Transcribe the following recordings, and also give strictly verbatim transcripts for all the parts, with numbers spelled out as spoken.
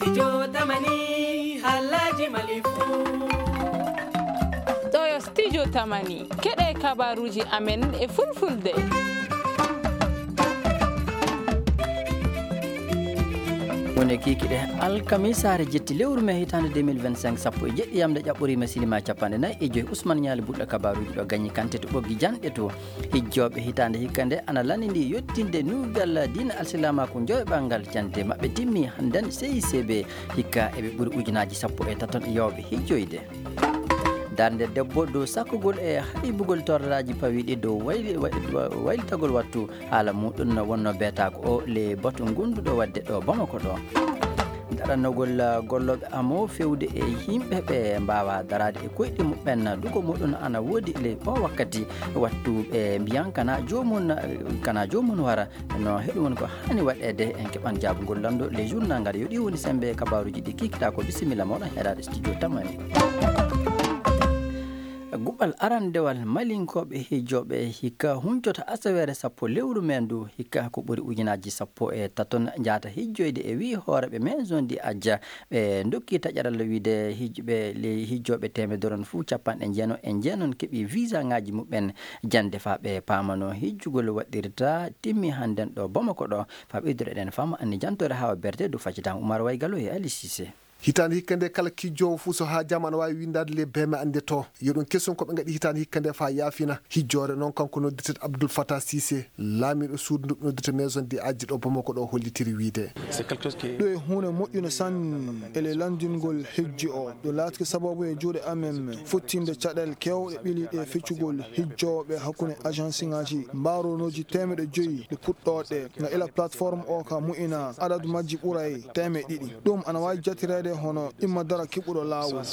Studio Tamani, halaji Mali fou. Ɗo yo Studio Tamani, keɗe kabaruji amen e fulfulde. Woni kiikiɗe alkamisaare jetti lewru me hitaande deux mille vingt-cinq, sappo e jeɗɗi yamde ƴaɓɓoriima sinima capanɗe nayi e joyi. Ousmane Ñaali Buɗɗo kabaruji ɗo gañi kante to ɓoggi janɗe to. Hijjooɓe hitaande hikka nde ana lanndini yottinde nuugal diina alsilaamaaku joyɓangal jannde maɓɓe timmi hannden C I C B. Hikka eɓe ɓuri ujunaaji sappo e taton yawɓe hijjoyde. Darnde debbo dow sakkugol e haybugol torraaji pawiiɗi dow wayli-, way-, waylitagol wattu haala muɗum no wonno beetaako o le batu gonduɗo waɗde ɗo Bamako ɗo. Daranogol gollooɓe amo fewde e yimɓe ɓe mbaawa daraade e koyɗe muɓɓen, dugo muɗum ana woodi le o wakkati wattu ɓe mbiyan kana joomum, kana joomum wara. No heɗum woni ko haani waɗeede, en keɓan jaabugol lanndo le journal ngal. Yo ɗi woni sembe kabaruji ɗi kikiɗa ko bisimilla moɗon heɗaɗo studio Tamani. Guɓal arandewal Malinkooɓe hijooɓe hikka huncota asaweere sappo lewru men ndu, hikka ko ɓuri ujunaaji sappo e taton njaata hijjoyde e wii hooreɓe maison di Adja. Ɓe ndokki taƴaral wiide hijɓe, le hijjooɓe teemedere on fuu capanɗe jeenon e jeenon keɓi visa ŋaaji muɓɓen jannde faa ɓe paamano hijjugol waɗirta timmi hannden ɗo Bamako ɗo. Faa ɓeydude eɗen faama anni jantoore hawa berte du faccitan Umar Waygalo e Ali Cissé. Hitaande hikka nde kala kijjoowo fuu so haajaama ana waawi winndaade le beme annde to. Yo ɗum kesun ko ɓe ngaɗi hitaande hikka nde faa yaafina hijjoore noon kanko noddirteeɗo Abdoul Fattah Cissé, laamiiɗo suudu ndu noddirta maison di Adja ɗo Bamako ɗo hollitiri wiide. Ɗo e huunde moƴƴunde sanne ele lanndingol hijji o. Ɗum laatike sababu e juuɗe amen fottinde caɗeele keewɗe ɓiliiɗe e feccugol hijjooɓe hakkunde agence ŋaaji mbaronooji teemeɗɗe joyi ɗe puɗɗooɗe nga ila plateforme o ka mu'ina adadu majji ɓuray teemeɗɗe ɗiɗi. Ɗum ana waawi jattireede hono imma dara kiɓɓuɗo laawol.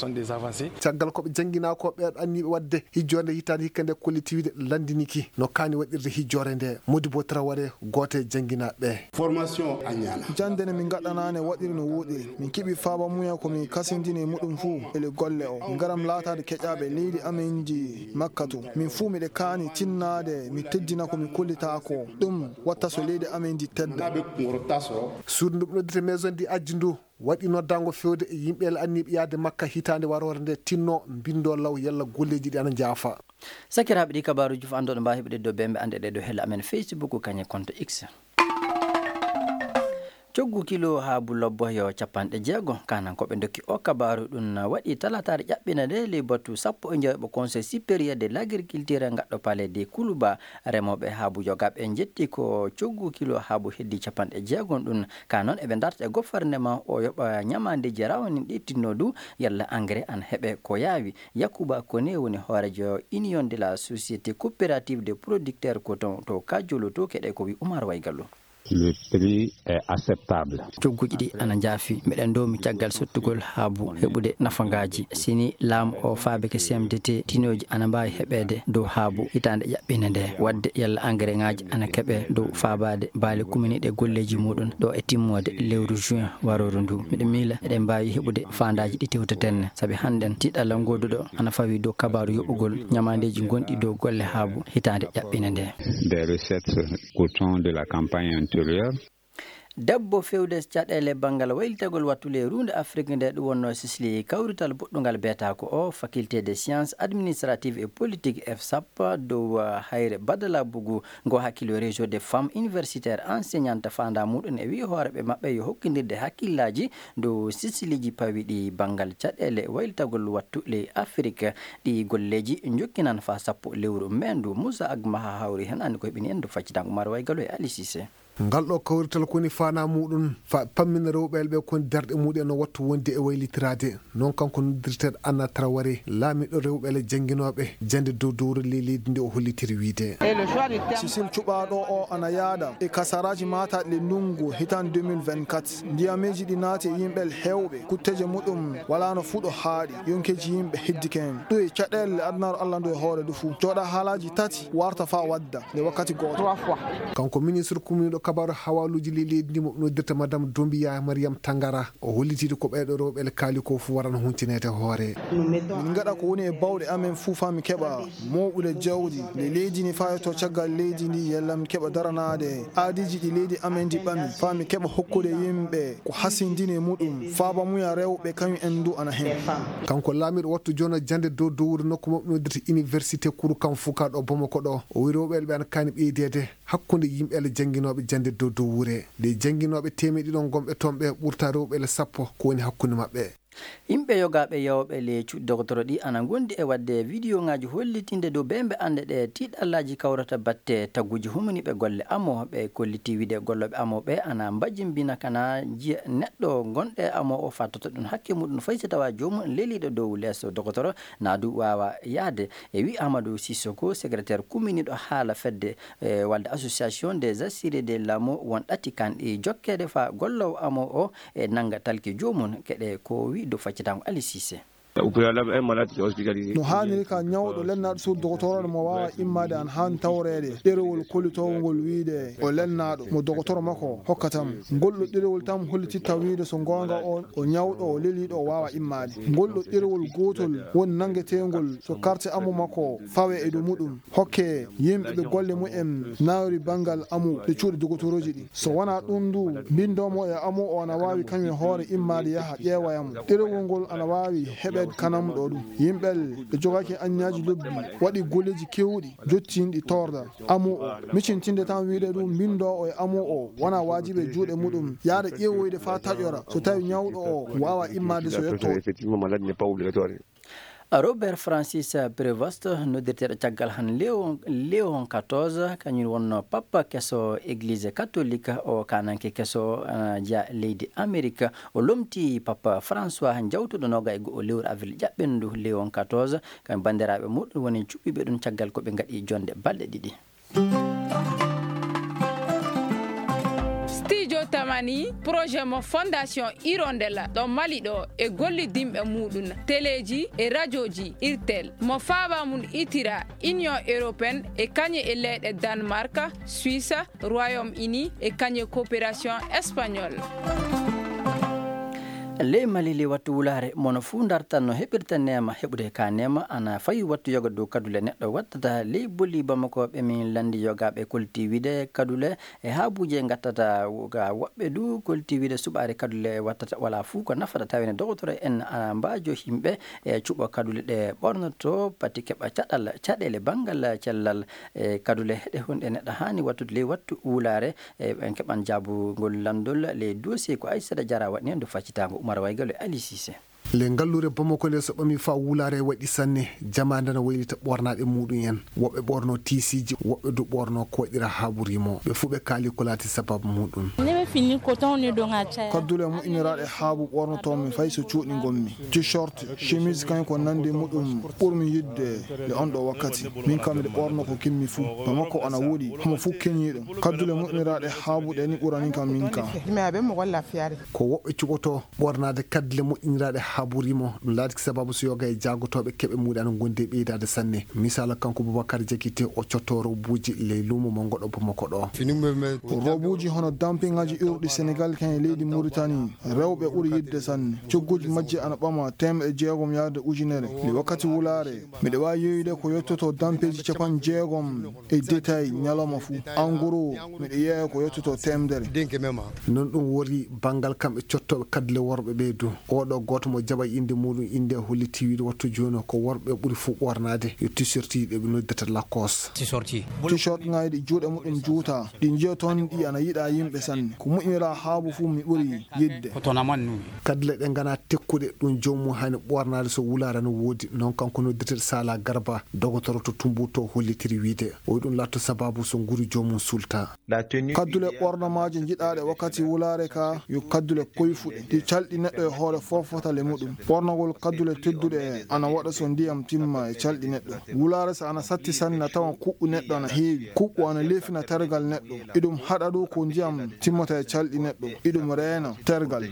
Caggal ko ɓe jannginaa ko ɓe anniiɓe waɗde hijjoore nde hitaande hikka nde kolliti wiide lanndiniki no kaani waɗirde hijjoore nde. Modibo Traoré, gooto e jannginaaɓe ɓe. Formation a ñaana. Jannde nde min ngaɗɗanaane waɗiri no wooɗiri. Min keɓi faaba muya ko min kasindini e muɗum fuu ele golle o. Min ngaram laataade keƴaaɓe leydi amen ndi Makka to. Min fuu miɗe kaani tinnaade mi teddina ko mi kollitaa ko. Ɗum watta so leydi amen ndi tedda. Suudu ndu noddete maison di Adja ndu waɗi noddaango fewde e yimɓe anniiɓe yahde Makka hitaande waroore nde tinno mbinndo law yalla golleeji ɗi ana njaafa. Sakiraaɓe, ɗi kabaaruuji fof annduɗo mbaawi heɓude dow bembe annde ɗe dow helle amen Facebook kañe compte X. Coggu kilo haabu lobbo yo capanɗe jeego. Kanan ko ɓe ndokki o kabaaru ɗum waɗi talataare ƴaɓɓina nde ley batu sappo e njoyɓo Conseil supérieur de l'agriculture ngaɗɗo palais de Kuluba. Remooɓe haabu yogaaɓe njetti ko coggu kilo haabu heddi capanɗe jeegom ɗum. Ka noon eɓe ndarta e gouvernement o yoɓa ñamaandeeji rawanin ɗi tinno du yalla engrais an heɓe ko yaawi. Yakuba Kone woni hooreejo Union de la Société Coopérative des Producteurs Coton to Kajolo to keɗe ko wi Umar Waygallo. Le prix est acceptable. Cogguji ɗi ana njaafi. Miɗen ndoomi caggal sottugol haabu heɓude nafangaaji. Sini laamu o faabike C M D T, tinooji ana mbaawi heɓeede dow haabu hitaande ƴaɓɓinde nde. Waɗde yalla engrais ŋaaji ana keɓe dow faabaade baali kuminiiɗe golleeji muɗum ɗo e timmoode lewru juin warooru ndu. Miɗo miila eɗen mbaawi heɓude faandaaji ɗi tewteten, sabi hannden tiiɗalla ngooduɗo ana fawi dow kabaaru yoɓugol ñamaandeeji gonɗi dow golle haabu hitaande ƴaɓɓinde nde. Des recettes coton de la campagne intérieure. Debbo fewde caɗeele banngal waylitagol wattu ley ruunde Afrik nde ɗum wonnoo Sisli kawrital boɗɗungal beetaako o, Faculté des Sciences Administratives et Politiques, F S A P, dow, uh, hayre Badala Bugu ngo hakkilo Réseau des Femmes Universitaires Enseignantes faandaa muɗum e wii hooreɓe maɓɓe yo hokkindirde hakkillaaji dow silsiliiji pawiiɗi banngal caɗeele waylitagol wattu ley Afrik. Ɗi golleeji njokkinan faa sappo lewru meendu. Musa Agmaha hawri heen, anndi koye ɓini en do faccitango Mara Waygalo e Ali Cissé. Ngal ɗo kawrital ko woni faanaa muɗum fa pammina rewɓe ɓe ko woni darɗe muɗum no wattu wonde e waylitiraade. Noon kanko noddirteeɗo Anna Traoré, laamiiɗo rewɓe le jannginooɓe jannde dow dowro ley leydi nde o hollitiri wiide. Sisil cuɓaaɗo o ana yaada e kasaraaji maataaɗi le ndunngu hitaande deux mille vingt-quatre. Ndiyameeji ɗi naati e yimɓe heewɓe, kutteeje muɗum walaano fuu ɗo haaɗi, yonkeeji yimɓe heddike heen. Ɗum e caɗeele le adunaaru Allah ndu e hoore ndu fuu. Jooɗa haalaaji tati warta faa wadda nde wakkati gooto. Kanko ministre kumniiɗo Kabaaru hawaaluuji ley leydi ndi mo noddirta Madame Doumbouya Mariam Tangara, o hollitiiɗo ko ɓeeɗo rewɓe le kaali ko fuu warano huncineede hoore. Min ngaɗa ko woni e bawɗe amen fuu faa mi keɓa mooɓude jawdi ley leydi ndi faa yetto caggal leydi ndi, yalla mi keɓa daranaade aadiiji ɗi leydi amen ndi ɓami, faa mi keɓa hokkude yimɓe ko hasindini e muɗum, faa bamuya rewɓe kañum en du ana heen. Kanko laamiiɗo wattu jono jannde dow dowuure nokku mo noddirta Université Kouroukan Fouka ɗo Bamako ɗo, o wiyi rewɓe ɓe ana kaani ɓeydeede hakkunde yimɓe le jannginooɓe jannde dow dowuure. Ley jannginooɓe teemeɗɗe ɗiɗi gonɓe toon ɓe ɓurta rewɓe le sappo ko woni hakkunde maɓɓe. Yimɓe yogaaɓe yawɓe le cuuɗi dogotoro ɗi ana ngondi e waɗde wideyoŋaaji hollitinde dow bembe annde ɗe tiiɗallaaji kawrata batte tagguuji humaniiɓe golle amo. Ɓe kolliti wiide gollooɓe amo ɓe ana mbajimbina kana jiya neɗɗo gonɗo e amo o fattata ɗum hakke muɗum fay so tawa joomum leliiɗo dow leeso dogotoro na du waawa yahde. E wi Amadou Sissoko, secrétaire kumminiiɗo haala fedde, e, walde Association des Assurés de l'amo, won ɗati kanɗi jokkeede faa golloowo amo o e nannga talki joomum. Keɗe ko wi dow faccitango Ali Cissé. Au préalable, un malade qui est hospitalisé. No haaniri ka ñawɗo lennaaɗo suudu dogotoro mo waawa immaade ana haani tawreede ɗerewol kollitoowol ngol wiide o lennaaɗo mo dogotoro makko hokkata mo. Ngol ɗo ɗerewol tan hollititta wiide so goonga o, o ñawɗo, o leliiɗo, o waawa immaade. Ngol ɗo ɗerewol gootol woni nanngeteengol so karte amu makko fawe e dow muɗum. Hokke yimɓe ɓe golle mumen nawri banngal amu ɗe cuuɗi dogotorooji ɗi. So wonaa ɗum du, mbinndoomo e amu o ana waawi kañum e hoore immaade yaha ƴeewoya mo. Ɗerewol ngol ana waawi heɓeede kanam ɗo ɗum. Yimɓe ɓe jogaaki anniyaji lobbi waɗi golleeji keewɗi jottinɗi torda amu o. Micintinde tan wiide ɗum mbinndoowo e amu o wonaa waajibi e juuɗe muɗum. Yaada ƴeewoyde faa taƴora so tawi ñawɗo o waawa immaade so yetto. Effectivement, malade n'est pas obligatoire. Robert Francis Prevost, noddirteeɗo caggal han Léon, Léon quatorze, kañum wonno Papa keso Église catholique o, kananke keso, ah, jeya leydi Amerik. O lomti Papa François jawtuɗo noga e go'o lewru avril ƴaɓɓendu, Léon quatorze, kamɓe banndiraaɓe muɗum woni cuɓɓiiɓe ɗum caggal ko ɓe ngaɗi jonde balɗe ɗiɗi. Studio Tamani, projet mo Fondation Hirondella ɗo Mali ɗo e gollidinɓe muɗum, teleji e rajoji Irtel, mo faaba mum itira Union Européenne e kañe e leyɗe Danemark, Suisse, Royaume-Uni e kañe coopération espagnole. Ley Mali, ley wattu wulaare, mono fuu ndartan no heɓirta neema. Heɓude ka neema ana fawi wattu yoga dow kadule neɗɗo wattata. Ley boli Bamako ɓe min landi yogaaɓe kolti wiide kadule e haabuuje ngattata ga woɓɓe du kolti wiide suɓaare kadule wattata wala fuu ko nafata tawene dogotoro en ana mbaajo himɓe e cuɓo kadule ɗe ɓornoto pati keɓa caɗal, caɗeele banngal cellal e kadule ɗe honɗe neɗɗo haani wattude ley wattu wulaare. E, en keɓan jaabugol lanndol ley dossier ko Aissata Diarra waɗi heen, ndu faccitaango Umar Waygal e Ali Cissé. Le ngalluure Bamako nde so ɓami faa wulaare waɗi sanne, jamaande na waylita ɓornaaɗe muɗum en. Woɓɓe ɓorno tiisiiji, woɓɓe du ɓorno ko waɗira haabu rimo. Ɓe fuu ɓe kaali ko laati sababu muɗum. Kaddule moƴƴiniraaɗe haabu ɓornotoomi fay so cuuɗi ngonmi. T-shirt, chemise kañum ko nanndi muɗum ɓurmi yiɗde le on ɗo wakkati. Min kam miɗo ɓorno ko kimmi fuu. Bamako ana woɗi, homo fuu keñiiɗo. Kaddule moƴƴiniraaɗe haabu ɗe ni ɓurani kam min kam. Ko woɓɓe cuɓoto ɓornaade kaddule moƴƴiniraaɗe haabu rimo. Ɗum laatiki sababu so yoga e jaagotooɓe keɓe muuɗe ana ngondi e ɓeydaade sanne. Misaala, kanko Boubacar Diakité, o cotto robuuji ley luumo mo ngoɗo Bamako ɗo. Robuuji hono dampiŋaaji iwruɗi Senegal kan e leydi Mauritanie, rewɓe ɓuri yiɗde sanne. Cogguuji majji ana ɓama teemedde jeegom yaade ujunere. Nde wakkati wulaare, miɗo waawi yeeyude ko yottoto dampeeji capanɗe jeegom e détail ñalawma fuu. En gros, miɗo yeeya ko yottoto teemedere. Non ɗum wori banngal kamɓe cottooɓe kaddule worɓe ɓee du. Oɗo gooto mo jaɓa innde muɗum, innde holliti wiide wattu jooni ko worɓe ɓuri fuu ɓornaade yo t-shirt ɗi ɓe noddata Lacoste. T-shirt ŋaaji ɗi juuɗe muɗum juuta, ɗi njiya toon ɗi ana yiɗa yimɓe sanne. Ko moƴƴinira haabu fuu mi ɓuri yiɗde. Kaddule ɗe ngana tekkuɗe ɗum joomum haani ɓornaade so wulaare no woodi. Noon kanko noddirteeɗo Sala Garba, dogotoro to Tumbuto, hollitiri wiide o ɗum laatto sababu so nguru joomum sulta. Kaddule ɓornomaaje njiɗaaɗe wakkati wulaare ka yo kaddule koyfuɗe, ɗi calɗi neɗɗo e hoore foofata le muɗum. Ɓornagol kaddule tedduɗe ana waɗa so ndiyam timma e calɗi neɗɗo. Wulaare so ana satti sanne na tawa kuɓɓu neɗɗo ana heewi. Kuɓɓu ana leefina tergal neɗɗo. Iɗum haɗa ɗum ko ndiyam timmata e calɗi neɗɗo. Iɗum reena tergal.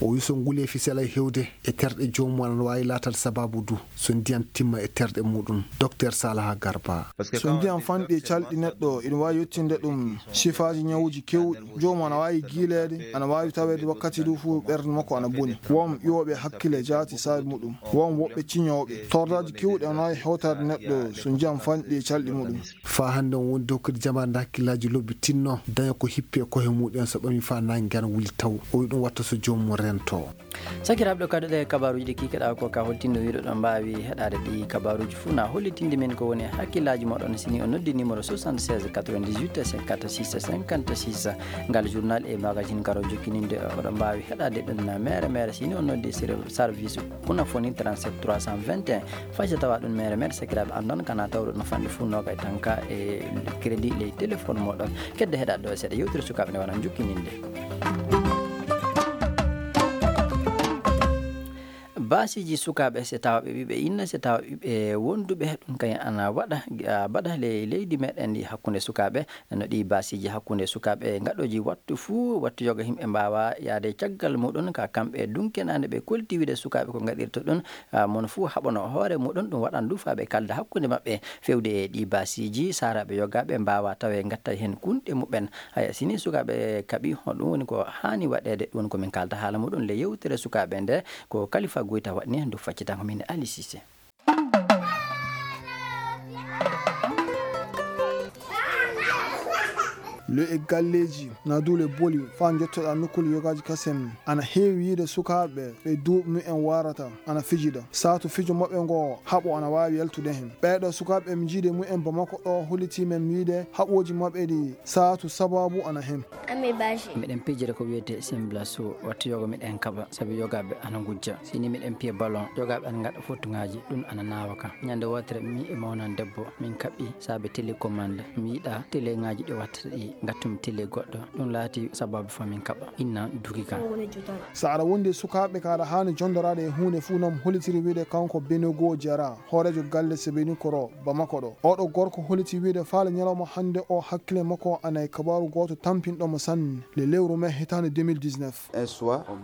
O wi so nguleefi selay hewde e terɗe joomum ana waawi laataade sabaabu du so ndiyam timma e terɗe muɗum. Docteur Salaha Garba. So ndiyam fanɗi e calɗi neɗɗo, iɗum waawi yettinde ɗum sifaaji ñawuuji keewɗi. Joomum ana waawi giileede, ana waawi taweede wakkati du fof ɓernde makko ana boni. Won ƴooɓe hakkille jaati saabi muɗum. Won woɓɓe ciñooɓe. Tordaaji keewɗi ana waawi hewtaade neɗɗo so ndiyam fanɗi e calɗi muɗum. Faa hannde on woni dow kadi jamaande hakkillaaji lobbi tinno daña ko hippi e kohe muɗum so ɓami faa naange ana wuli taw. O wi ɗum watta so joomum rento. Sakiraaɓe, ɗo kadi ɗe kabaaruuji ɗi kikiɗaa ko ka holtindo wiɗo ɗo mbaawi heɗaade ɗi kabaaruuji fof na hollitinde min ko woni hakkillaaji moɗon sini on noddi numéro soixante-seize quatre-vingt-dix-huit cinquante-six cinquante-six. Ngal journal e magazine karo jokkininde oɗo mbaawi heɗaade ɗum na mere mere sini on noddi ser-, service Kunafoni trente-sept trois cent vingt et un. Faysa tawa ɗum mere mere sakiraaɓe anndon kana tawɗo no fanɗi fof noga e tanka e crédit ley téléphone moɗon. Kedde heɗaade ɗo seeɗa yewtere sukaaɓe nde wona jokkininde. Baasiiji sukaaɓe, so tawa ɓe ɓiɓɓe inna, so tawa ɓiɓɓe wonduɓe, ɗum kañum ana waɗa, a, mbaɗa ley leydi meɗen ndi hakkunde sukaaɓe. No ɗi baasiiji hakkunde sukaaɓe ngaɗooji wattu fuu, wattu yoga yimɓe mbaawa yaade caggal muɗum ka kamɓe dunkenaande ɓe kolti wiide sukaaɓe ko ngaɗirta ɗum, a, mon fuu haɓano hoore muɗum, ɗum waɗan du faa ɓe kalda hakkunde maɓɓe. Fewde e ɗi baasiiji, saaraaɓe yogaaɓe mbaawa tawe ngatta heen kunɗe muɓɓen. Haya, sini sukaaɓe kaɓi, honɗum woni ko haani waɗeede? Ɗum woni ko min kaalta haala muɗum le yewtere sukaaɓe nde, ko Kalifa Goyta waɗni ndu faccitango min Ali Cissé. Le e galleeji, na duule boli, faa njottoɗaa nokkuuli yogaaji kasen, ana heewi yiide sukaaɓe ɓe duuɓi mumen waarata, ana fijida. Saatu fijo maɓɓe ngo, haɓo ana waawi yaltude hen. Ɓeeɗo sukaaɓe ɓe mi jiidi e mumen Bamako ɗo, hollitii men wiide haɓooji maɓɓe ɗi, saatu sabaabu ana hen. Miɗen pijira ko wiyetee simblasu, wattu yoga miɗen kaɓa, sabu yogaaɓe ana ngujja. Sini miɗen piya ballon, yogaaɓe ana ngaɗa fottuŋaaji, ɗum ana naawa kam. Ñande wootere mi e mawnan debbo, min kaɓɓi saabe télécommande. Mi yiɗaa teleŋaaji ɗi wattata ɗi, ngattumi télé goɗɗo. Ɗum laati sabaabu faa min kaɓa. Inna duki kam. So aɗa wondi e sukaaɓe ka aɗa haani jondoraade e huunde fuu, no mo hollitiri wiide kanko Benogo Jara, hooreejo galle Sebeni Koro, Bamako ɗo. Oɗo gorko hollitii wiide faale ñalawma hannde o hakkille makko ana e kabaaru gooto tampinɗo mo sanne, le lewru mee hitaande deux mille dix-neuf.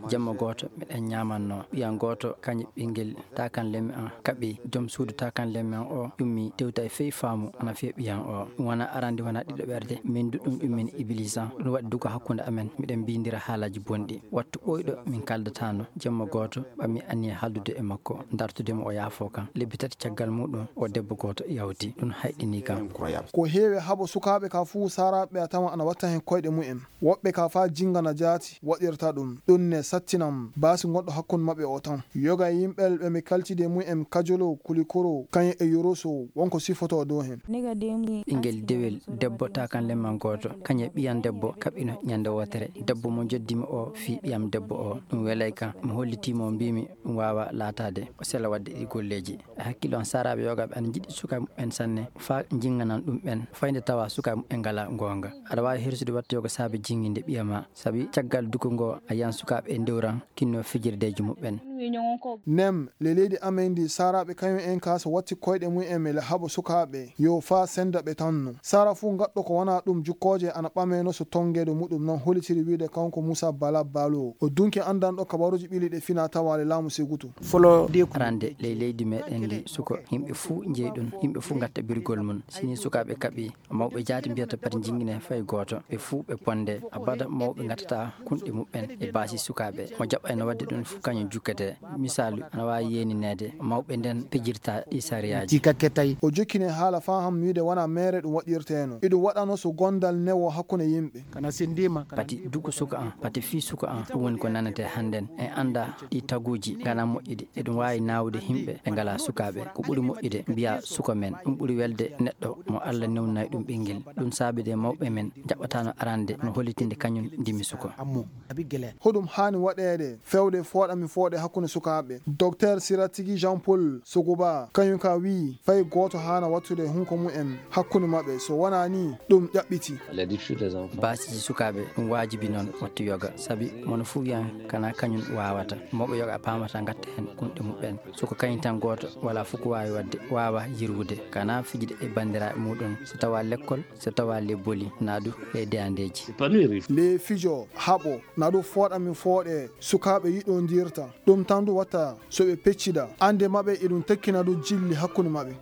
Jemma gooto miɗen ñaamanno, ɓiyan gooto kañum ɓinngel takan lemmi an kaɓi. Joom suudu takan lemmi an o ƴummi tewta e fey faamu ana fiya ɓiyan o. Ɗum wona arande, wona ɗiɗo ɓerde. Min du ɗum ƴummin Ibilisa. Ɗum waɗi duko hakkunde amen. Miɗen mbindira haalaaji bonɗi. Wattu ɓooyɗo min kaldataano. Jemma gooto ɓammi anniya haaldude e makko, dartude mo o yaafoo kam. Lebbi tati caggal muɗum o debbo gooto yawti. Ɗum hayɗini kam. Ko heewi haɓo sukaaɓe ka fuu, saaraaɓe a tawa ana watta hen koyɗe mumen. Woɓɓe ka faa jinngana jaati waɗirta ɗum. Ɗum ne sattinam baasi gonɗo hakkunde maɓɓe o tan. Yoga e yimɓe ɓe mi kaltide mumen Kajolo, Kulikoro, kañum e Yoroso, wonko sifotoo dow hen. Ɓinngel dewel debbo takan lemman gooto, kañum e ɓiyan debbo kaɓɓino ñande wootere. Debbo mo njoddimi o fii ɓiyam debbo o. Ɗum welay kam. Mi hollitii mo, mbiimi ɗum waawaa laataade. O sela waɗde ɗi golleeji. E hakkille on, saaraaɓe yogaaɓe ana njiɗi sukaaɓe muɓɓen sanne, faa jinganan ɗum ɓen, fayde tawa sukaaɓe muɓɓen ngalaa goonga. Aɗa waawi hirsude wattuyoo ko saabe jinginde ɓiya ma, sabi caggal duko ngo a yiyan sukaaɓe e ndewran kinno fijirdeeji muɓɓen. Nem, le leydi amen ndi, saaraaɓe kañum en ka so watti koyɗe mumen e le haɓo sukaaɓe, yo faa senda ɓe tan no. Saara fuu gaɗɗo ko wanaa ɗum, jukkooje ana ɓamee no so tonngeede muɗum, non hollitiri wiide kanko Muusa Bala Balo. O dunki anndanɗo kabaruuji ɓili ɗe fina tawaale laamu Segutu. Arande ley leydi meɗen ndi, suko, yimɓe fuu njeyɗun, yimɓe fuu ngatta birgol mun. Sini sukaaɓe kaɓi, mawɓe jaati mbiyata pati jingine fay gooto, ɓe fuu ɓe ponde. Abada mawɓe ngattata kunɗe muɓɓen e baasi sukaaɓe. Mo jaɓayno waɗde ɗun fuu kañum jukkete. Misaalu, ana waawi yeenineede mawɓe nden pijirta ɗi sariyaaji. O jokkine haala faa ham wiide wanaa meere ɗum waɗirteeno. Iɗum waɗano so gondal newo hakkunde yimɓe. Pati duku suka an, pati fii suka an, ɗum woni ko nanetee hannden. En anndaa ɗi taguuji nganaa moƴƴude, eɗum waawi naawude yimɓe ɓe ngalaa sukaaɓe. Ko ɓuri moƴƴude mbiyaa suka men, ɗum ɓuri welde neɗɗo mo Alla newnanay ɗum ɓinngel. Ɗum saabii de mawɓe men njaɓɓataano arande no hollitinde kañum ndimi suka. Hoɗum haani waɗeede fewde fooɗa mi fooɗe hakkunde hakkunde sukaaɓe. Docteur Siratigi Jean Paul Sogoba kañum ka wiyi fay gooto haana wattude hunko mum en hakkunde maɓɓe, so wonaa ni ɗum ƴaɓɓiti. Baasiji sukaaɓe ɗum waajibi noon watta yoga, sabi mono fuu wiyan kana kañum waawata. Mawɓe yoga a paamata ngatta heen kunɗe muɓɓen. Soko kañum tan gooto wala fuu ko waawi waɗde, waawa yirwude kana fijde e banndiraaɓe muɗum, so tawa lekkol, so tawa lebboli, naa du e deyandeeji. Le fijo haɓo na ɗum fooɗa min fooɗe sukaaɓe yiɗondirta. Ɗum tan du watta so ɓe peccida annde maɓɓe e ɗum tekkina du jilli hakkunde maɓɓe.